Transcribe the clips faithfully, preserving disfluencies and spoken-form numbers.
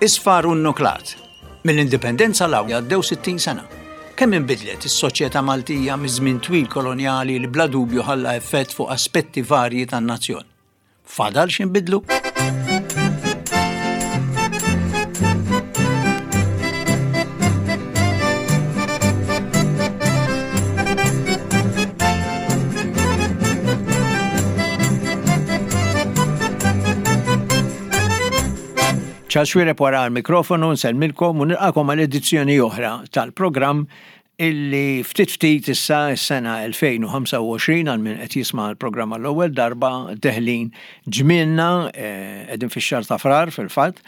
Isfar u nnuklat. Mill-Indipendenza 'l hawn għaddew sittin sena. Kemm inbidlet is-soċjetà Maltija miż-żmien twil kolonjali li bla dubju ħalla effett fuq aspetti varji tan-nazzjon. Fadal x'inbidlu? Charles Xuereb wara l-mikrofonu nsellmilkom u nilqakom għal edizzjoni oħra tal-programm illi ftit ftit issa s-sena elfejn u ħamsa u għoxrin għal min qed jisma' l-programm għall-ewwel darba deħlin ġmielna, eh, qegħdin fix-xahar ta' Frar fil-fatt,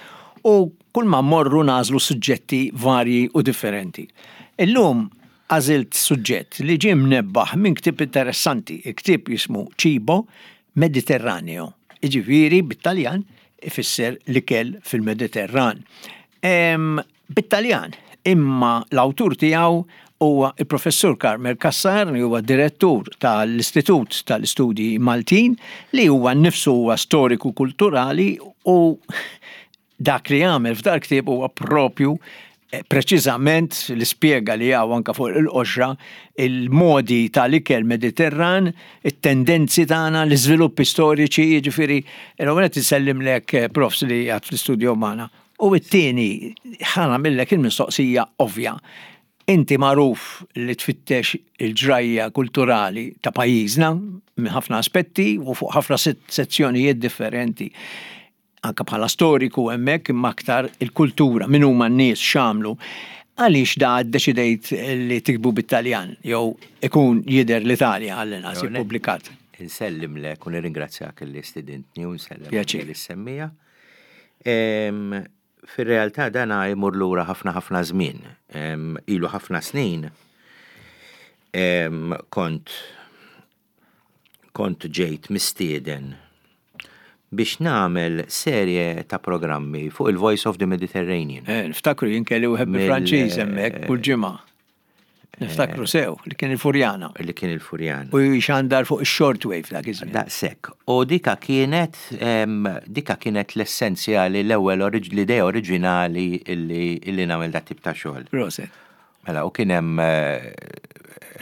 u kull ma mmorru nagħżlu suġġetti varji u differenti. Illum għażilt suġġett li ġie mnebbaħ minn ktieb interessanti, il-ktieb jismu Cibo Mediterraneo, jiġifieri bit-Taljan ifisser l-ikel fil-Mediterran. Em, bit-Taljan, imma l-awtur tiegħu huwa il-Professur Carmel Cassar, li huwa direttur tal-Istitut tal-Istudji Maltin, li huwa nnifsu huwa storiku kulturali, u dak li għamel f'dal ktieb huwa propju, eh, preċiżament l-ispjega li hawn anka fuq il-qoxra, il-modi tal-ikel Mediterran, it-tendenzi tagħna, l-iżviluppi storiċi, jiġifieri, l-ewwel qed insellimlek, eh, profs li għad fl-istudio magħna. U t-tieni, ħa nagħmillek il-mistoqsija ovvja. Inti magħruf li tfittex il-ġrajja kulturali ta' pajjiżna minn ħafna aspetti u fuq ħafna set-, sezzjonijiet differenti. Anka bħala storiku hemmhekk imma aktar il-kultura, min huma n-nies x'għamlu. Għaliex da ddeċidejt li tikbu bit-Taljan jew ikun jidher l-Italja għall-inqas Jew le. ippubblikat? Insellimlek u nirringrazzjak li stidintni u nsellem Pjaċir. li semmija. Em, fir-realtà dana jmur lura ħafna ħafna żmien. Em, ilu ħafna snin. Em, kont, kont ġejt mistieden biex nagħmel serje ta' programmi fuq il-Voice of the Mediterranean. Eh, niftakru jien kelli wieħed Mill- bil-Franċiż hemmhekk kull ġimgħa. Niftakru sew li kien il-Furjana. Li kien il-Furjana. U jxandar fuq il-shortwave dak iż-żmien. Daqshekk. U dika kienet, em, dika kienet l-essenzjali, l-ewwel oriġ-, l-idea oriġinali illi, illi nagħmel dat tip ta' xogħol. Proset. Mela, u kien hemm, eh,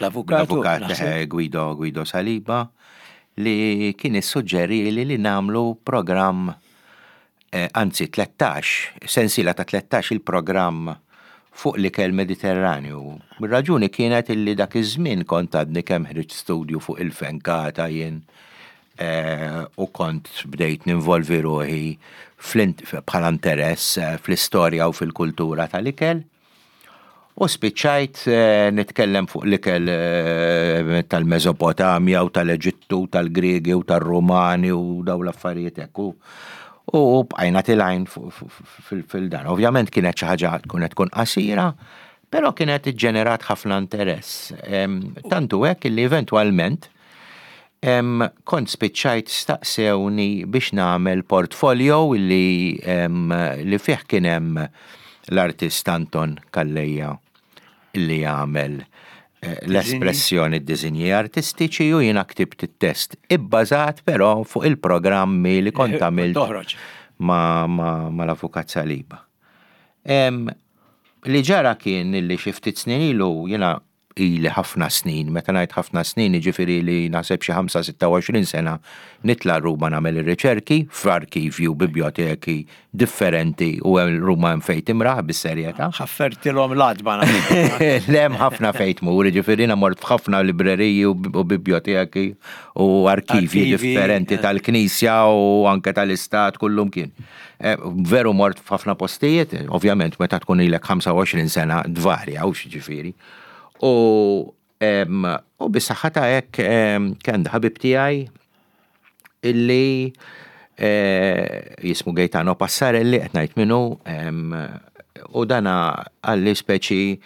L-avukat, l-avukat, naħseb. eh, Guido, Guido Saliba, li kien issuġġeri li, li nagħmlu programm, eh, anzi tlettax, sensiela ta' tlettax il-programm fuq l-ikel Mediterranju. Ir-raġuni kienet illi dak iż-żmien kont għadni kemm ħriġt studju fuq il-fenkata jien, eh, u kont bdejt ninvolvi ruħi fl-int-, bħala interess, eh, fl-istorja u fil-kultura tal-ikel. U spiċċajt, eh, nitkellem fuq l-ikel, eh, tal-Mesopotamja u tal-Eġittu, tal-Griegi u tal-Rumani u daw l-affarijiet hekk. U, u bqajna tilgħin fu-, fu-, fu-, fil-, fil-dan. Ovvjament kienet xi ħaġa tkun qed tkun qasira, però kienet iġġenerat ħafna interess. Em, tantu hekk illi eventwalment, em, kont spiċċajt staqsewni biex nagħmel portfolio illi, em, li fih kien hemm l-artist Anton Calleja illi jagħmel, eh, l-espressjoni d-disinji artistiċi u jiena ktibt it-test ibbażat però fuq il-programmi li kont Eh, għamilt toħroġ. ma, ma, ma l-Avukat Saliba. Em, li ġara kien illi xi ftit snin ilu jiena ili ħafna snin, meta ngħid ħafna snin jiġifieri li naħseb xi ħamsa sitta u għoxrin sena nitla' Ruma nagħmel ir-riċerki f'arkivju, biblioteki differenti u hemm Ruma hemm fejn timraħ bis-serjetà. Ħaffertilhom l-għadba naħseb. Le, hemm ħafna fejn tmur, jiġifieri jiena mort f'ħafna libreriji u bi-, u biblioteki u arkivji Arkivi, differenti eh. tal-Knisja u anke tal-Istat kullum kien. Eh, veru mort f'ħafna postijiet, ovvjament meta tkun ilek ħamsa u għoxrin sena dvarja u x'ġifieri. U, em, u bis-saħħa ta' hekk, em, kien ħabib tiegħi illi, eh, jismu Gaetano Passarelli, qed ngħid minnu, em, u dana għalli speċi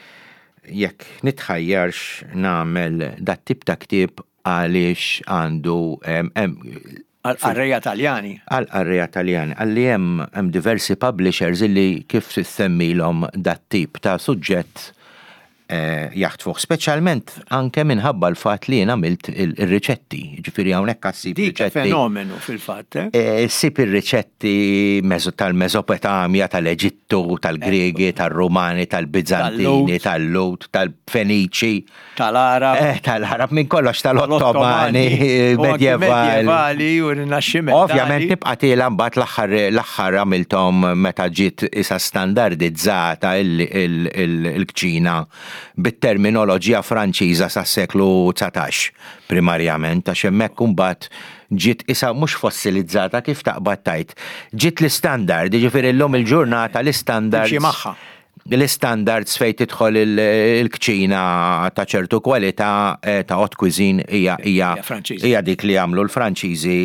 jekk nitħajjarx nagħmel dat tip ta' ktieb għaliex għandu, em, em, Għal-qarrejja Taljani. Għal-qarrejja Taljani. Għalli hemm, hemm diversi publishers illi kif semmilhom dat tip ta' suġġett eh, jaħtfuh, speċjalment anke minħabba l-fatt li jien għamilt il-riċetti, ġifieri hawnhekk issib Dik riċetti. fenomenu fil-fatt, eh? Eh, Ssib ir-riċetti meso- tal-Mesopotamja, tal-Eġittu, tal-Gregi, tal-Rumani, tal-Bizantini, tal-Lut, tal-Feniċi, Tal-Arab, eh, tal-Arab, minn kollox tal-Ottomani, u anki medjevali. medjevali u rinaxximentali. Ovvjament tibqa' tiela mbagħad l-aħħar l-aħħar għamilthom meta ġiet isa standardizzata il- il- il- il-kċina bit-terminoloġija Franċiża sas-seklu dsatax primarjament, għax hemmhekk imbagħad ġiet isa mhux fossilizzata, kif taqbad tajt. Ġiet l-istandard, jiġifieri llum il-ġurnata l-istandard. Timxi magħha. L-standards fejn tidħol il- il-kċina ta' ċertu kwalità eh, ta' haute cuisine hija hija Hija Franċiża. Hija dik li għamlu l-Franċiżi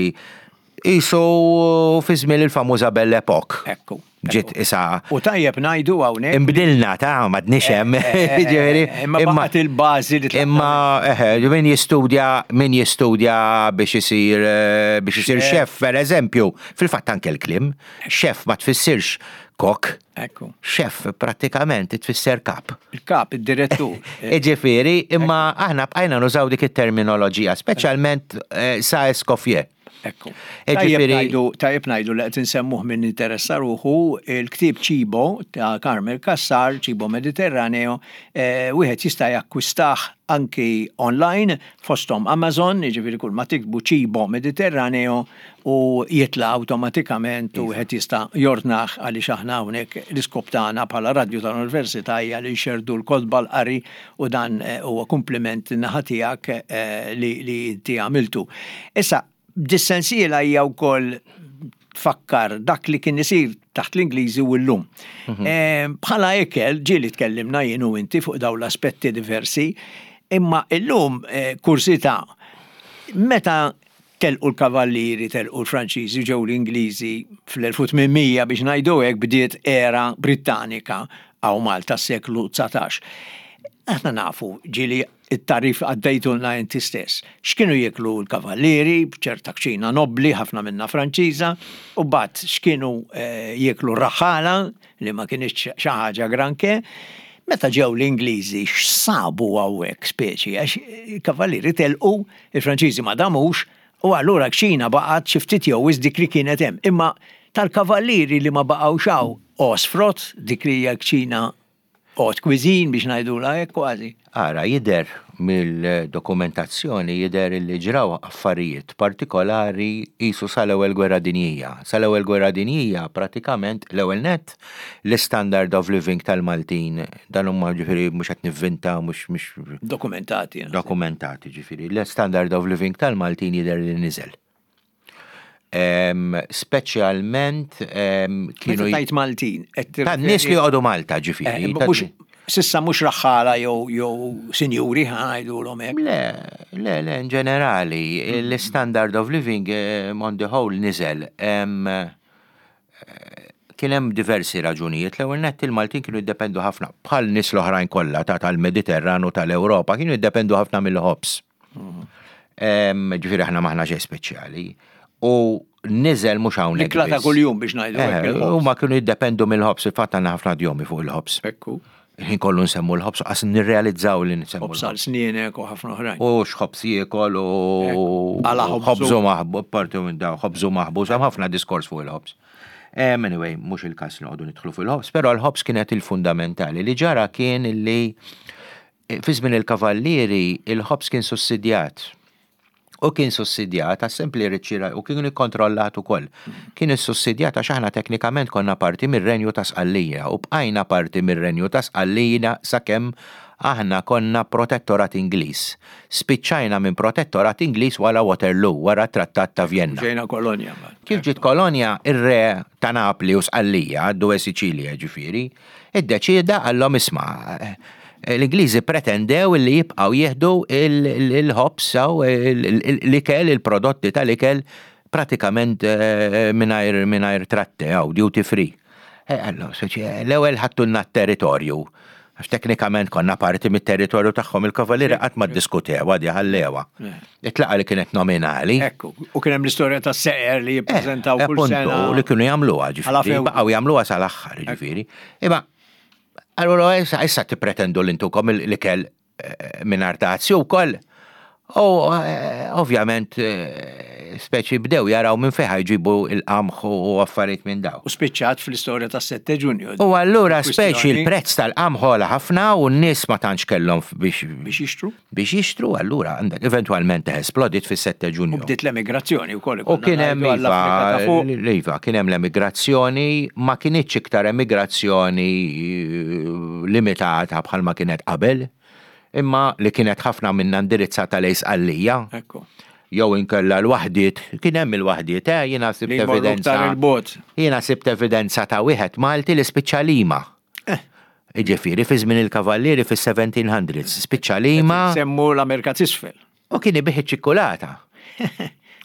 isu fi żmien il-famuża Belle Époque. Ekku. Ġiet isa U tajjeb ngħidu hawnhekk. imbdilna ta' m'għadniex hemm. Ġifieri, Imma baqgħet il-bażi li Imma eħe, min jistudja min jistudja biex isir eh, biex isir chef, per eżempju, fil-fatt anke l-kliem, chef ma tfissirx kok, Ekku. chef prattikament tfisser kap. Il-kap, id-direttur. Iġifieri, imma aħna bqajna nużaw dik it-terminoloġija, speċjalment eh, sa Escoffier. Ekku. Tajjeb Ġifieri- ngħidu tajjeb ngħidu li qed insemmuh min interessa ruħu il-ktieb Cibo ta' Carmel Cassar, Cibo Mediterraneo, eh, wieħed jista' jakkwistah anki online fosthom Amazon, jiġifieri kull ma tiktbu Cibo Mediterraneo u jitla awtomatikament u wieħed jista' jordnah, għaliex aħna hawnhekk l-iskop tagħna bħala radju tal-Università hija li nxerdu l-kotba, l-qari, u dan eh, huwa kompliment naħa tiegħek eh, li li inti għamiltu. Issa, dis-sensiela hija wkoll tfakkar dak li kien isir taħt l-Ingliżi u llum. Eh, Bħala ikel, ġieli tkellimna jien u inti fuq dawn l-aspetti diversi, imma illum eh, kursità, meta telqu l-kavallieri, telqu l-Franċiżi, ġew l-Ingliżi fl-elf u tmien mija, biex ngħidu hekk, bdiet era Britannika hawn Malta s-seklu dsatax. Aħna nafu, ġieli it-tarif għaddejtulna inti stess. X'kienu jieklu l-kavallieri, b'ċerta kċina nobli, ħafna minna Franċiża, u bat x'kienu eh, jieklu r-raħħala, li ma kienx xi ħaġa granché. Meta ġew l-Ingliżi, x'sabu hawnhekk speċi, għax il-kavallieri telqu, il-Franċiżi ma damux, u allura kċina baqgħet xi ftit jew wisq dik li kienet hemm. Imma tal-kavallieri li ma baqgħux hawn għosfrot dik li hija kċina haute cuisine, biex ngħidula hekk kważi. Ara, jidher mill-dokumentazzjoni, jidher li ġraw affarijiet partikolari jisu sal-ewwel gwerra dinjija. Sal-ewwel gwerra dinjija pratikament l-ewwel net l-standard of living tal-Maltin, dan huma ġifieri mhux qed nivvinta, mhux mhux Dokumentati. Dokumentati ġifieri. L-standard of living tal-Maltin jidher li niżel. Em, Speċjalment em, kienu Meta tajt Maltin, qed tan nies li joqogħdu Malta ġifieri. Eh, mhux sissa mhux raħħala jew jew sinjuri, ħa ngħidulhom hekk. Le, le, le, in ġenerali, l-standard of living eh, on the whole niżel. Em, eh, Kien hemm diversi raġunijiet. L-ewwel nett il-Maltin kienu jiddependu ħafna, bħal nies l-oħrajn kollha ta' tal-Mediterran u tal-Ewropa, kienu jiddependu ħafna mill-ħobż. Em, Ġifieri aħna m'aħna xejn speċjali. U niżel mhux hawnhekk L-ikla ta' biss. kuljum, biex ngħidu hekk, Eh, il-ħobż. Huma kienu jiddependu mill-ħobż, il-fatt għandna ħafna idjomi fuq il-ħobż. Ekku. Ħin kollu nsemmu l-ħobż, qas nirrealizzaw li nsemmu Ħobż l-ħobż. għal snienek u ħafna oħrajn. U x'ħobż jiekol u Għala ħobżu. ħobżu maħbu, parti minn daw, ħobżu maħbu, hemm ħafna diskors fuq il-ħobż. Um, anyway, mhux il-każ noqogħdu nidħlu fil-ħobż, però l-ħobż kienet il-fundamentali. Li ġara kien li eh, fi żmien il-kavallieri il-ħobż kien sussidjat. U kien sussidjat għas sempli riċċira u kien ikkontrollat ukoll. Kien issussidjat għax aħna teknikament konna parti mir-Renju ta' Sqallija u bqajna parti mir-Renju ta' Sqallija sakemm aħna konna protettorat Ingliż. Spiċċajna minn protettorat Ingliż wara Waterloo, wara Trattat ta' Vienna. Ġejna kolonja. mbagħad. Kif ġiet kolonja, ir-re ta' Napli u Sqallija, Due Sicilia ġifieri, iddeċieda għallhom, isma', eh, l-Ingliżi pretendew li jibqgħu jieħdu il-ħobż u l-ikel, il-prodotti tal-ikel pratikament eh, mingħajr mingħajr tratte jew duty free. Eh, Allora, l-ewwel ħadtulna t-territorju. Għax teknikament konna parti mit-territorju tagħhom, il-kavallieri qatt ma ddiskutew, għadi ħallewa. Itlaqa li kienet nominali. Ekku. U kien hemm l-istorja ta' seqer li jippreżentaw Eh, kull appuntu, sena. li kienu jagħmluha Għala ġifieri, few. baqgħu jagħmluha sal-aħħar ġifieri. Imma Allura issa issa tippretendu li ntukom l-ikel eh, mingħajr dazju wkoll. U eh, ovvjament eh, speċi bdew jaraw minn fejn jġibu il-qamħ u affarijiet minn daw. U spiċċat fl-istorja tas-sette Ġunju. U allura speċi il-prezz tal-qamħ għola ħafna u n-nies ma tantx kellhom biex biex jixtru. Biex jixtru, allura għandek eventwalment esplodit fis-sette Ġunju. U bdiet l-emigrazzjoni wkoll. U kien hemm iva, iva, kien hemm l-emigrazzjoni, ma kinitx iktar emigrazzjoni eh, limitata bħalma kienet qabel, imma li kienet ħafna minna indirizzata lejn Sqallija. Jew inkella l-waħdiet, kien hemm il-waħdiet, eh, jiena sibt evidenza. Jiena sibt evidenza ta' wieħed Malti li spiċċa Lima. Eh. Ġifieri fi żmien il-Kavallieri fis-seventeen hundreds, spiċċa Lima. Semmu l-Amerika t'Isfel. U kien ibigħ ċikkulata.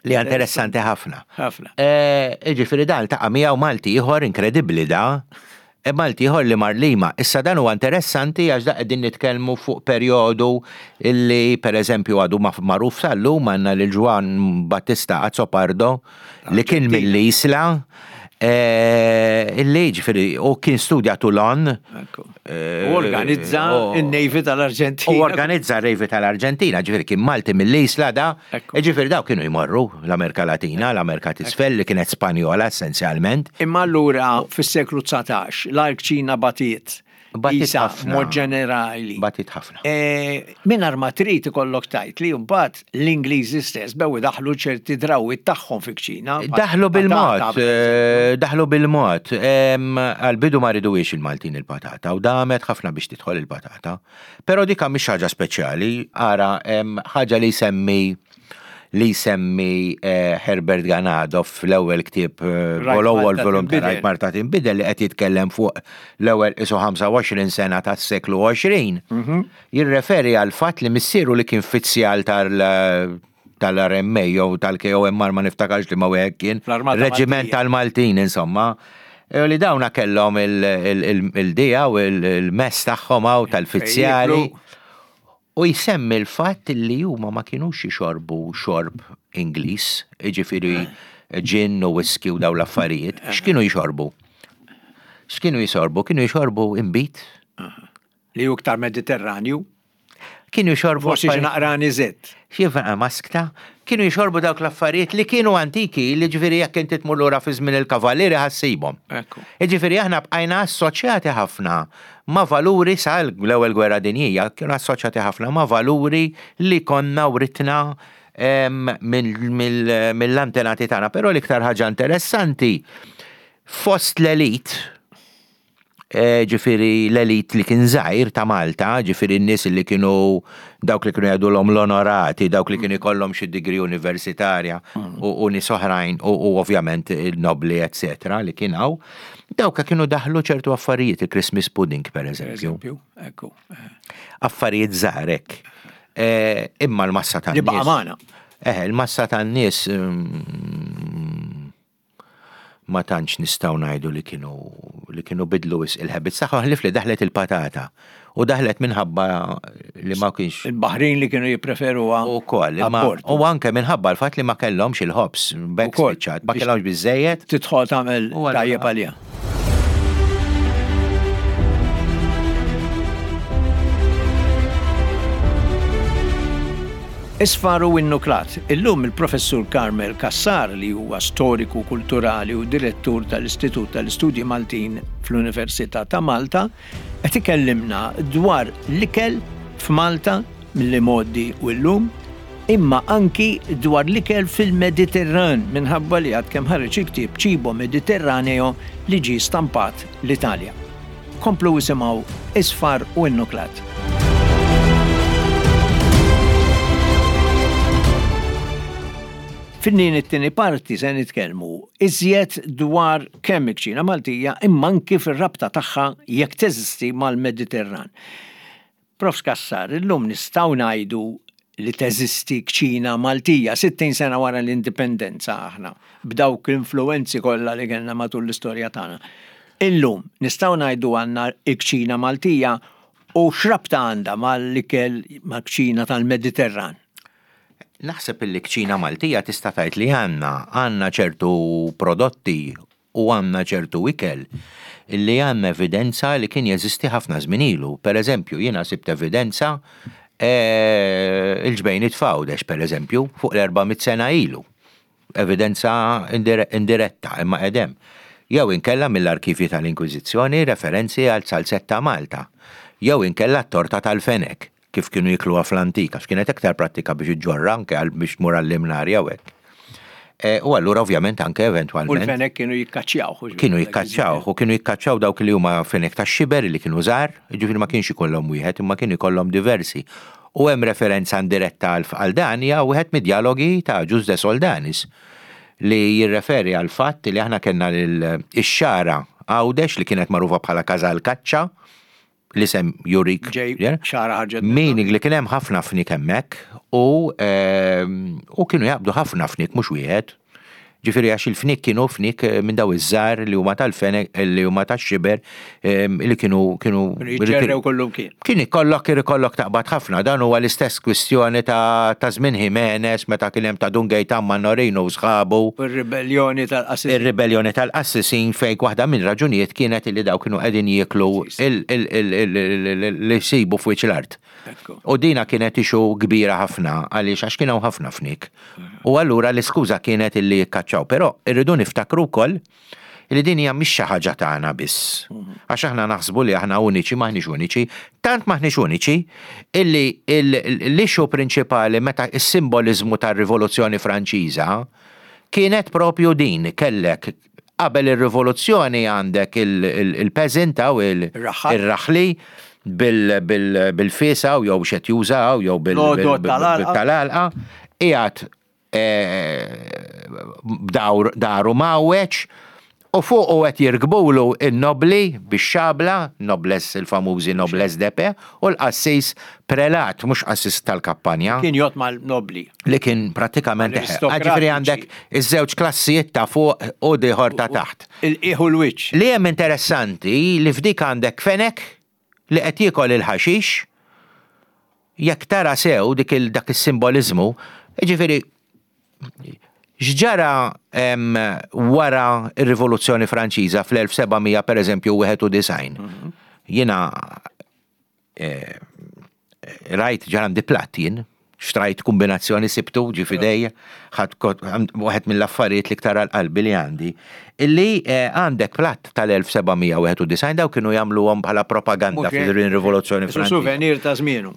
Li interessanti ħafna. Ħafna. Eh, ġifieri dan ta' miegħu Malti ieħor inkredibbli da. E Malti ieħor li mar Lima. Issa dan huwa interessanti għax da qegħdin nitkellmu fuq perjodu illi pereżempju għadu magħruf sal-lum, għandna lil Juan Battista Azzopardo li kien mill-Isla, eh, illi ġifieri u kien studja Toulon. U organizza il-Navy tal-Arġentina. U organizza il-Navy tal-Arġentina, ġifieri kien Malti mill-Isla da. Ġifieri daw kienu jmorru l-Amerika Latina, l-Amerika t'Isfel li kienet Spanjola essenzjalment. Imma allura fis-seklu dsatax, l-kċina batiet. Batiet ħafna. Mod ġenerali. Batiet ħafna. E, Mingħajr ma trid ikollok tgħid li mbagħad l-Ingliżi stess bew daħlu ċerti drawwiet tagħhom fi kċina. Daħlu bil-mod, eh, daħlu bil-mod. Għal-bidu ma ridux il-Maltin il-patata u damet ħafna biex tidħol il-patata. Però dika mhix ħaġa speċjali, ara ħaġa li semmi li semmi eh, Herbert Ganado fl-ewwel ktieb, eh, l-ewwel volum ta' Rajt Malta Tinbidel, li qed jitkellem fuq l-ewwel isu ħamsa u għoxrin sena tas-seklu għoxrin. Mhm. Jirreferi għal fatt li missieru li kien fizzjal tal tal-R M A jew tal-K O M R, ma niftakarx li ma wieħed kien Reġiment tal-Maltin insomma. E li dawna kellhom il-dija u il-mess tagħhom hawn tal-fizzjali. U jsemmi l-fatt li huma ma kienux jixorbu xorb Ingliż, jiġifieri gin u whisky u daw l-affarijiet. X'kienu jixorbu? X'kienu jixorbu? Kienu jixorbu imbit. Li hu iktar Mediterranju. Kienu jixorbu. Forsi xi naqra aniżett. Xi maskta. Kienu jixorbu dawk l-affarijiet li kienu antiki, li ġifieri jekk inti tmur lura fi żmien il-kavallieri ħa ssibhom. Ġifieri aħna bqajna assoċjati ħafna ma' valuri sa l-ewwel gwerra dinjija, kienu assoċjati ħafna ma' valuri li konna writna mill-antenati tagħna. Però l-iktar ħaġa interessanti fost l-elit, eh, ġifieri l-elit li kien żgħir ta' Malta, ġifieri n-nies li kienu dawk li kienu jgħidulhom l-onorati, dawk li kienu jkollhom xi degree universitarja u, u nies oħrajn u, u ovvjament il-nobli, eccetera, li kien hawn. Dawk kienu daħlu ċertu affarijiet, il-Christmas pudding per eżempju. Eżempju, ekku. Affarijiet żgħarek. Eh, imma l-massa tan Li baqa' magħna. Eh, il-massa tan-nies mm, ma tantx nistgħu ngħidu li kienu li kienu bidlu wisq il-habits tagħhom ħlief li daħlet il-patata. U daħlet minħabba li ma kienx Il-Baħrin li kienu jippreferuha. U koll, imma Abbord. u anke minħabba l-fatt li ma kellhomx il-ħobż, bekk Ukoll, spiċċat, ma biex kellhomx biżejjed. Tidħol tagħmel U allura- tajjeb għalija. Isfar u Innuklat. Illum il-professur Carmel Cassar, li huwa storiku kulturali u direttur tal-Istitut tal-Istudji Maltin fl-Università ta' Malta, qed ikellimna dwar l-ikel f'Malta mill-modi u llum, imma anki dwar l-ikel fil-Mediterran minħabba li għad kemm ħareġ il-ktieb Cibo Mediterraneo li ġie stampat l-Italja. Komplu isimgħu Isfar u Innuklat. Fin-din it-tieni parti se nitkellmu iżjed dwar kemm il-kċina Maltija imma anki fir-rabta tagħha, jekk teżisti, mal-Mediterran. Prof Cassar, illum nistgħu ngħidu li teżisti kċina Maltija sittin sena wara l-indipendenza aħna b'dawk l-influenzi kollha li kellna matul l-istorja tagħna. Illum nistgħu ngħidu għandna l-kċina Maltija u x'rabta għandha mal-ikel mal-kċina tal-Mediterran? Naħseb il kċina Maltija tista' tgħid li għandna għandna ċertu prodotti U għandna ċertu ikel illi għandna evidenza li kien jeżisti ħafna żmien ilu. Per eżempju, jiena sibt evidenza eh, il-ġbejniet f'Għawdex, per eżempju, fuq l-erba' mitt sena ilu. Evidenza indiretta, imma edem. Jew inkella mill-arkivji tal-Inkwiżizzjoni referenzi għal zalzett ta' Malta. Jew inkella t-torta tal-fenek, kif kienu jikluha fl-antika, x'kienet iktar pratika biex iġġorra anke għal biex tmur għall-imnarja u hekk. E, u allura ovvjament anke eventualment. U l-fenek kienu jikkaċċjaw. Kienu jikkaċċjaw, u kienu jikkaċċjaw dawk li huma fenek ta' xiber li kienu żgħar, ġifieri ma kienx ikollhom wieħed, imma kienu jkollhom diversi. U hemm referenza indiretta għal dan hija wieħed mid-dialogi ta' Agius de Soldanis li jirreferi għal fatt li aħna kellna l-xagħra Għawdex li kienet magħrufa bħala Każal Kaċċa, l-isem jurik. Xagħra ħarġet. Meaning li kien hemm ħafna fnik hemmhekk u ehm, u kienu jaqbdu ħafna fnik, mhux wieħed. Ġifieri għax il-fnik kienu fnik eh, minn daw iż-żgħar li huma tal-fenek, li huma tax-xiber, ehm, li kienu kienu Jiġġerrew kollum kien. Kien ikollok ikollok taqbad ħafna, dan huwa l-istess kwistjoni ta' ta' żmien Jimenez meta kien hemm ta' Dun Gejtan Mannorino u sħabu. Ir-ribellioni tal-qassisin. Ir-ribellioni tal-qassisin fejn waħda minn raġunijiet kienet li daw kienu qegħdin jieklu li jsibu f'wiċċ l-art. U dina kienet issue kbira ħafna għaliex għax kienu ħafna fnik. U allura l-iskuża kienet illi jikkaċċaw, però irridu niftakru wkoll li din hija mhix xi ħaġa tagħna biss. Għax aħna naħsbu li aħna uniċi, m'aħniex uniċi, tant m'aħniex uniċi illi l-issue prinċipali meta is-simboliżmu tar-Rivoluzzjoni Franċiża kienet propju din, kellek qabel ir-rivoluzzjoni għandek il-peasant u il-raħli bil-fisa u jew xet jużaw jew bil-tal-alqa, qiegħed daru mawweċ u fuq u qed jirkbulu in-nobli bix-xabla, noblesse, il-famużi noblesse d'épée, u l-qassis prelat, mhux qassis tal-kappanja. Kien jgħod mal-nobli. Li kien pratikament ġifieri għandek iż-żewġ klassijiet ta' fuq u l-ieħor ta' taħt. Il-qiegħu l-wiċċ. Li hemm interessanti li f'dik għandek fenek li qed jiekol il-ħaxix, jekk tara sew dik dak is-simboliżmu, ġifieri x'ġara wara ir-Rivoluzzjoni Franċiża fl-elf seba' mija per eżempju wieħed u disgħin. Mhm. Jiena eh, rajt ġar għandi platt jien, xtrajt kombinazzjoni sibtu ġi f'idejja, waħed mill-affarijiet li ktar għal-qalbi li għandi, illi eh, għandek platt tal-elf seba' mija wieħed u disgħin, daw kienu jagħmluhom bħala propaganda fil-Rivoluzzjoni Franċiża. Souvenir ta' żmienu.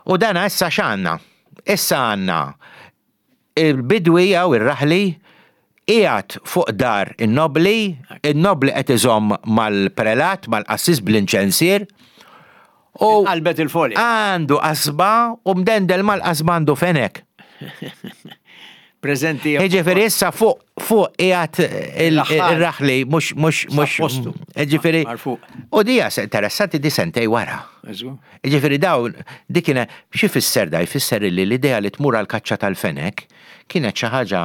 U dana issa x'għandna? Issa għandna il-bidwi jew ir-raħli qiegħed fuq dar in-nobli, in-nobli qed iżomm mal-prelat, mal-qassis bl-inċensier. U qalbet il-folja. Għandu qasba u mdendel mal-qasba għandu fenek. Prezenti. Ġifieri issa fuq fuq qiegħed il-raħli mhux mhux mhux. Ġifieri. U dija interessanti di sentej wara. Ġifieri dawn dik kienet xi fisser da jfisser li l-idea li tmur għal kaċċa tal-fenek kienet xi ħaġa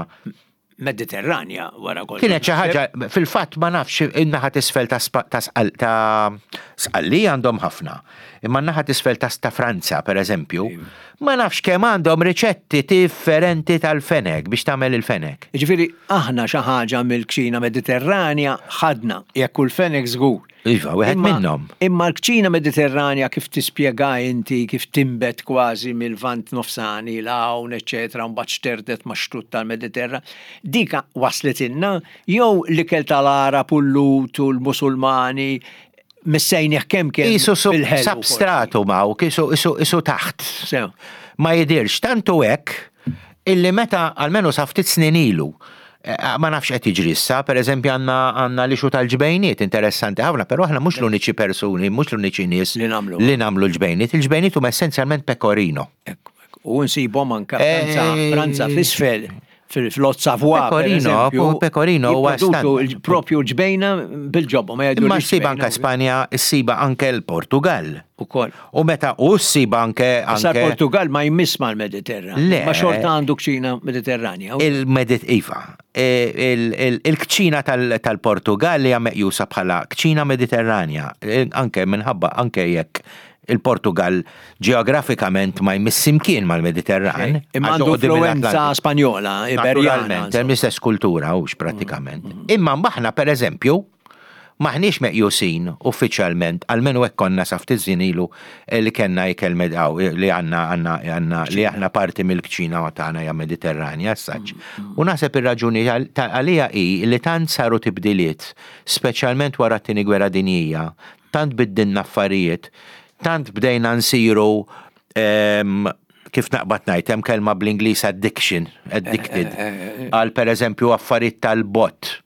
Mediterranja wara kollox. Kienet xi ħaġa, fil-fatt ma nafx in-naħa t'isfel ta' ta' Sqalli għandhom ħafna. Imma n-naħa t'isfel ta' Franza, per eżempju, iva. ma nafx kemm għandhom riċetti differenti tal-fenek biex tagħmel il-fenek. Ġifieri aħna xi ħaġa mill-kċina Mediterranja ħadna, jekk il-fenek żgur. Iva, wieħed minnhom. Imma l-kċina Mediterranja kif tispjega inti, kif timbet kważi mill-Lvant Nofsani, l-hawn, eċetera, mbagħad xterdet ma' xtut tal-Mediterran, dika waslet inna jew l-ikel tal-Arab u l-Lut u l-Musulmani missejnieh kemm kemm Isu substratu ma' isu isu taħt. Ma jidirx, tantu hekk illi meta almenu sa ftit snin ilu, eh, ma nafx qed jiġri issa, per eżempju għandna għandna l-issue tal-ġbejniet interessanti ħafna, però aħna mhux l-uniċi persuni, mhux l-uniċi nies li nagħmlu li nagħmlu l-ġbejniet. Il-ġbejniet huma essenzjalment pecorino. U nsibhom anke Franza, eh, Franza f'isfel fil-Haute Savoie. Pecorino, pecorino huwa propju ġbejna bil-ġobba. Ma Imma ssiba anke Spanja, ssiba anke l-Portugal. Ukoll. U meta u ssiba anke. Sa Portugal ma jmiss mal-Mediterran. Le. Ma xorta għandu kċina Mediterranja. Il-Medit, iva. E, il-kċina tal-Portugal li hija meqjusa bħala kċina Mediterranja. E, anke minħabba anke jekk Il-Portugal ġeografikament ma jmiss imkien mal-Mediterran. Imma għax għandu quddiem influenza l-Atlantiku. Spanjola, Iberjana. Naturalment, hemm l-istess kultura hux prattikament. Imma aħna, per eżempju, maħniex meqjusin uffiċjalment, almenu hekk konna sa ftit żmien ilu, eh, li kellna ikel medaw, li għandna għandna għandna li aħna parti mill-kċina tagħna hija Mediterranja, saċ. U naħseb ir-raġuni għal- ta' għalija hi li tant saru tibdiliet, speċjalment wara t-tieni gwerra dinjija, tant biddilna affarijiet, tant bdejna nsiru em, kif naqbad ngħid, hemm kelma bl-Ingliż addiction, addicted, għal per eżempju affarijiet tal-bott,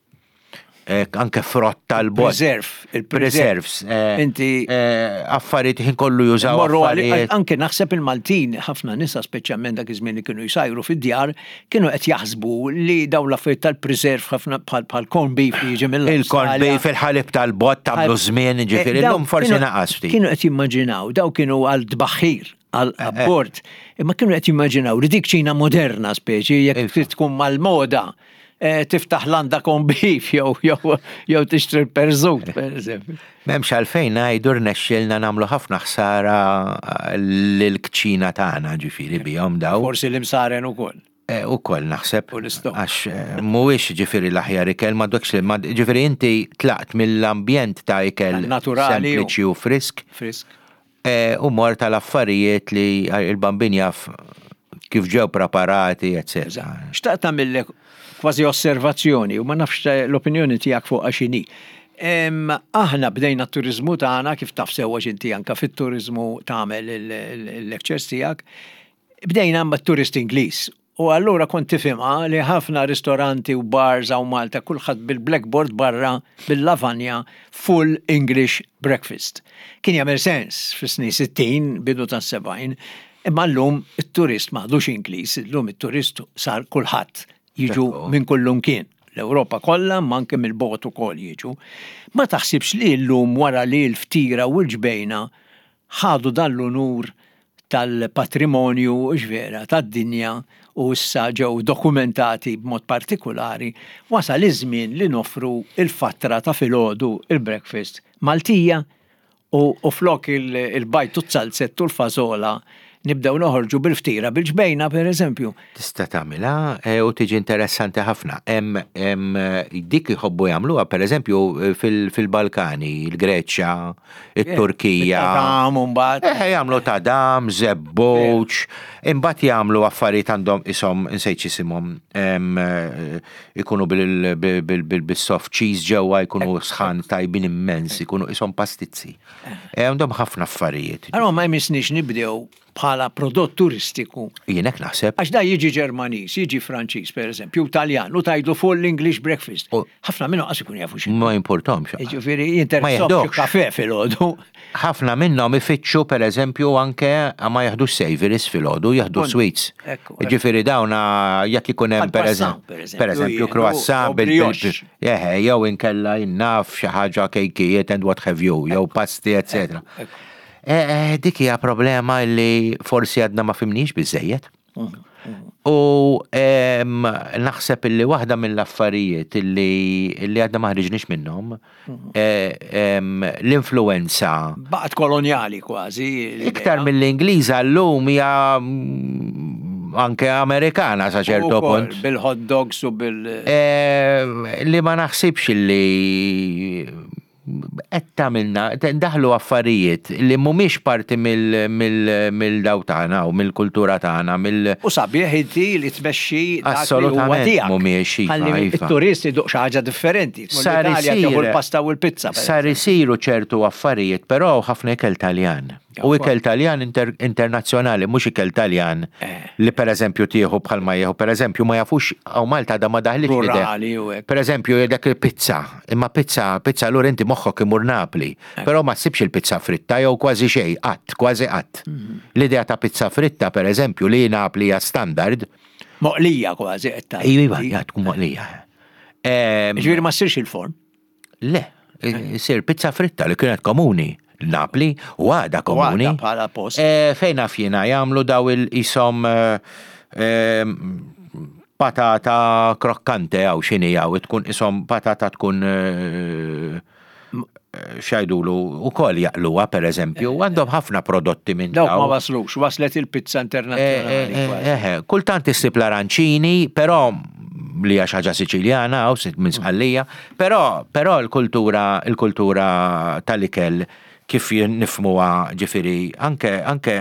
eh, anke frott tal-bott. Preserve, il-preserve. Preserves. eh, Inti- eh, Affarijiet ħin kollu jużaw Morru għali- affarijiet. Anke naħseb il-Maltin, ħafna nisa, speċjalment dak iż-żmien li kienu jsajru fid-djar, kienu qed jaħsbu li dawn l-affarijiet tal-preserve ħafna bħal bħal corn beef li jiġi mill Il-corn beef, il-ħalib tal-bott, tagħmlu żmien, ġifieri, Eh, dawn illum forsi kienu- naqas ftit. Kienu qed jimmaġinaw, daw kienu għal tbaħħir, għal abbord, imma kienu qed jimmaġinaw li dik kċina moderna speċi, jekk Iva. trid tkun mal-moda, eh, tiftaħ landa corn beef jew jew jew tixtri l-perżut, per eżempju. M'hemmx għalfejn ngħidu rnexxielna nagħmlu ħafna ħsara lill-kċina tagħna, ġifieri, bihom daw. Forsi l-imsaren ukoll. Eh, U koll naħseb. U l-istokk. Għax eh, mhuwiex ġifieri l-aħjar ikel, ma dokx li ma ġifieri inti tlaqt mill-ambjent ta' ikel Naturali u- sempliċi u frisk Frisk. eh, u mort tal-affarijiet li il-bambin jaf kif ġew preparati, eccetera. Xtaqt tagħmillek kważi osservazzjoni u ma nafx l-opinjoni tiegħek fuq x'inhi. Em, Aħna bdejna t-turizmu tagħna, kif taf sewwa inti, anka fit-turizmu tagħmel il-lectures tiegħek, bdejna ma' turist Ingliż. U allura kont tifhimha li ħafna ristoranti u bars hawn Malta, kulħadd bil-blackboard barra bil-lavanja "full English breakfast". Kien jagħmel sens fis-snin sittin, bidu tas-sebgħin, imma llum it-turist m'għadux Ingliż, illum it-turist sar kulħadd, jiġu Ekku. minn kullum kien. L-Ewropa kollha, ma anke mill-bogħod ukoll jiġu. Ma taħsibx li llum, wara li l-ftira u l-ġbejna ħadu dan l-unur tal-patrimonju ġvera tad-dinja u issa ġew dokumentati b'mod partikolari, wasal iż-żmien li nofru il-fatra ta' filgħodu, il-breakfast Maltija, u, u flok il- il-bajd u z-zalzett u l-fażola nibdew noħorġu bil-ftira bil-ġbejna, per eżempju? Tista' tagħmilha eh, u tiġi interessanti ħafna. Hemm hemm, eh, dik jħobbu jagħmluha, pereżempju, fil- fil-Balkani, il-Greċja, it-Turkija. Tadam u mbagħad. Eh, jagħmlu tadam, żebbuġ, imbagħad jagħmlu affarijiet għandhom ishom, insejt isimhom, em, eh, ikunu bil- bil- bil- bil- bil-soft cheese ġewwa, jkunu sħan tajbin immens, ikunu ishom pastizzi. Eh, Għandhom ħafna affarijiet. Allora ma jmissniex nibdew bħala prodott turistiku? Jien hekk naħseb. Għax da jiġi Ġermaniż, jiġi Franċiż, per eżempju, Taljan, u tgħidlu "full English breakfast". U- Ħafna minnhom qas ikun jafu xi. Ma jimpurtomx. Ġifieri Ma jinteressahom jeħdokx. kafe filgħodu. Ħafna minnhom ifittxu, per eżempju, anke ma jaħdux savories filgħodu, jaħdu Punt. sweets. Ekku, ekku. Ġifieri dawna jekk ikun hemm Bħal per croissant, eżempju, per eżempju, per eżempju jieħdu croissant u bil bil- brioche. Eħe, jew inkella jinnaf xi ħaġa, kejkijiet and what have you, jew pasti, eccetera. Ekku. Eh, eh, Dik hija problema li forsi għadna ma fhimniex biżejjed. U em, naħseb illi waħda mill-affarijiet illi, illi għadna ma ħriġniex minnhom, eh, em, l-influenza Baqgħet kolonjali kważi l-idea. iktar mill-Ingliża llum hija mm, anke Amerikana sa ċertu Ukoll, punt. bil-hot dogs u bil- Eh, li ma naħsibx li qed tagħmilna daħlu affarijiet li mhumiex parti mill-daw tagħna u mill-kultura tagħna, mill U sabiħ inti li tmexxi dak li huwa Assolutament tiegħek. mhumiex, iva, Ħalli iva. it-turist iduq xi ħaġa differenti. Tmur Sar l-Italja, isir- tieħu l-pasta u l-pizza, per Sar isiru ċertu affarijiet, però ħafna ikel Taljan. U ikel Taljan inter internazzjonali, mhux ikel Taljan Eh. li per eżempju tieħu bħalma jieħu, per eżempju, ma jafux hawn Malta da ma daħlitx l-idea. Rurali u hekk. Per eżempju, dak il-pizza, imma pizza, pizza allura inti moħħok imur Napli, Eh. però ma ssibx il-pizza fritta jew kważi xejn, qatt, kważi qatt. Mhm. L-idea ta' pizza fritta, per eżempju, li Napli hija standard, Moqlija kważi qed tgħid. iva, ja, tkun moqlija. Em, Ġifieri ma ssirx il-forn. Le, sir pizza fritta li kienet komuni Napli u għada komuni. għadha bħala post. Eh, Fejn naf jiena jagħmlu daw il-isom eh, patata croccante għaw xini għaw, tkun isom patata tkun eh, x'jgħidulu ukoll jaqluha, per eżempju, għandhom ħafna prodotti minn Dawk ma waslux, waslet il-pizza internazzjonali. Eh, kultant issib l-aranċini, però li hija ħaġa Siċiljana u minn Sqallija, però però l-kultura il-kultura tal-ikel kif nifhmuha, ġifieri anke, anke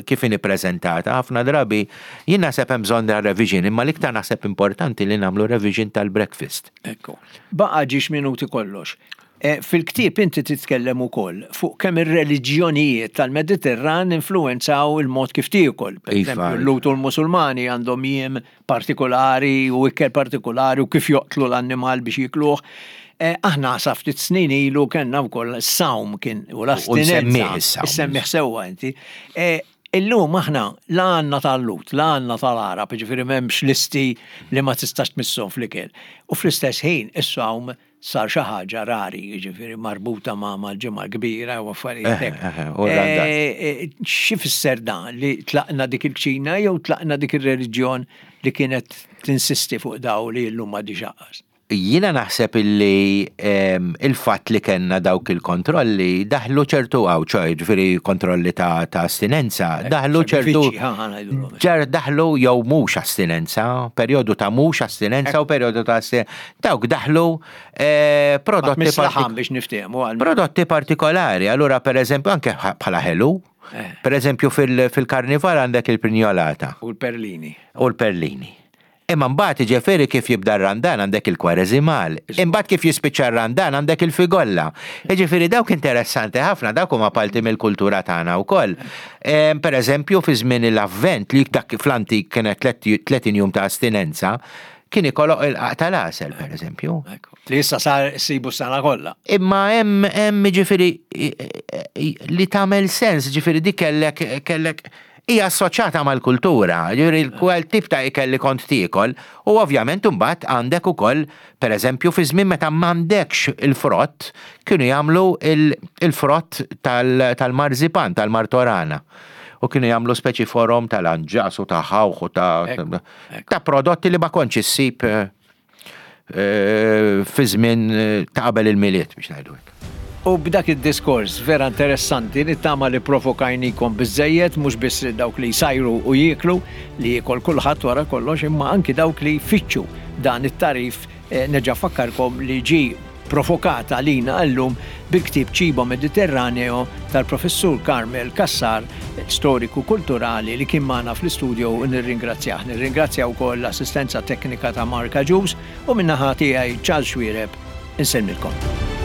kif inhi prezentata, ħafna drabi jien naħseb hemm bżonn revision, imma l-iktar naħseb importanti li nagħmlu revision tal-breakfast. Ekku. Baqa' ġiex minuti kollox. E, fil-ktieb inti titkellem ukoll fuq kemm ir-reliġjonijiet tal-Mediterran influenzaw il-mod kif tiekol. Per Iva. eżempju, l-Lhud u l-Musulmani għandhom jiem partikolari u ikel partikolari u kif joqtlu l-annimal biex jikluh. E, aħna sa ftit snin ilu kellna wkoll sawm kien u l-astinenza. Nsemmih is-sawm. Issemmih sewwa inti. E, Illum aħna la għandna tal-Lhud, la għandna tal-Arab, ġifieri m'hemmx listi li ma tistax tmisshom fl-ikel. U fl-istess ħin, is-sawm sar xi ħaġa rari, ġifieri marbuta ma' mal-Ġimgħa Kbira u affarijiet hekk. Eh, eh, u r-Randan. Eh, Xi fisser dan, li tlaqna dik il-kċina jew tlaqna dik ir-reliġjon li kienet tinsisti fuq daw li llum ma diġaqas? Jiena naħseb illi em, il-fatt li kellna dawk il-kontrolli daħlu ċertu għaw, ċoj, ġifieri kontrolli ta', ta' astinenza, daħlu ċertu. Sagrifiċċji, ħa, ħa ngħidulhom. Ġar daħlu jew mhux astinenza, perjodu ta' mhux astinenza u perjodu ta' astinenza. Dawk daħlu eh, prodotti Mislaħam partik- biex niftehmu għal prodotti partikolari. Allura, per eżempju, anke bħala ħelu, Eh. per eżempju fil- fil-karnival għandek il-prinjolata u l-perlini. U l-perlini. Imma mbagħad, ġifieri, kif jibda r-Randan għandek il-kwareżimal. Imbagħad kif jispiċċa r-Randan għandek il-figolla. Ġifieri dawk interessanti ħafna, dawk huma parti mill-kultura tagħna wkoll. Em, Per eżempju, fi żmien l-Avvent, li dak fl-antik kienet tletin jum ta' astinenza, kien ikollok il-qaq tal-għasel, per eżempju. Ekku. Li issa sar sibu s-sena kollha. Imma hemm hemm ġifieri li tagħmel sens, ġifieri dik kellek kellek hija assoċjata mal-kultura, ġifieri kwel tip ta' ikel li kont tiekol, u ovvjament imbagħad għandek ukoll, pereżempju, fi żmien meta m'għandekx il-frott, kienu jagħmlu il- il-frott tal- tal-marzipan, tal-martorana. U kienu jagħmlu speċi forom tal-anġas u ta' ħawħ u ta' Ekku, ekku. ta' prodotti li ma kontx issib eh, eh, fi żmien eh, ta' qabel il-Milied, biex ngħidu hekk. U b'dak id-diskors vera interessanti, nittama li provokajnikom biżżejjed, mhux biss dawk li jsajru u jieklu, li jiekol kulħadd wara kollox, imma anki dawk li jfittxu dan it-tagħrif. eh, Nerġa' nfakkarkom li ġi provokat għalina llum bil-ktib Cibo Mediterraneo tal-professur Carmel Cassar, storiku kulturali li kien magħna fl-istudio, u nirringrazzjah. Nirringrazzja wkoll l-assistenza teknika ta' Marka Ġus u min-naħa tiegħi, Charles Xuereb, insellmilkom.